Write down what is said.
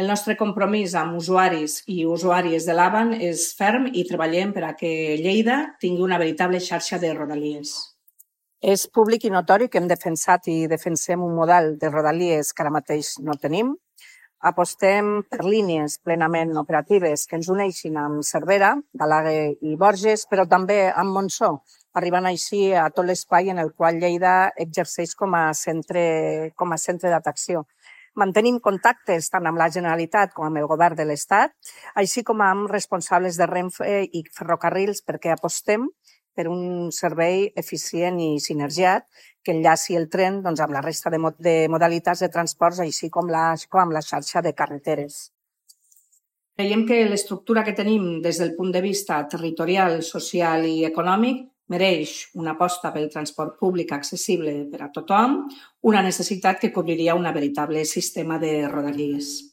El nostre compromís amb usuaris i usuàries de l'AVAN és ferm i treballem per a que Lleida tingui una veritable xarxa de rodalies. És públic i notori que hem defensat i defensem un model de rodalies que ara mateix no tenim. Apostem per línies plenament operatives que ens uneixin amb Cervera, Balaguer i Borges, però també amb Montsó, arribant així a tot l'espai en el qual Lleida exerceix com a centre d'atracció. Mantenim contactes tant amb la Generalitat com amb el Govern de l'Estat, així com amb responsables de Renfe i ferrocarrils, perquè apostem per un servei eficient i sinergiat que enllaci el tren amb la resta de modalitats de transports, així com amb la xarxa de carreteres. Creiem que l'estructura que tenim des del punt de vista territorial, social i econòmic mereix una aposta pel transport públic accessible per a tothom, una necessitat que cobriria un veritable sistema de rodalies.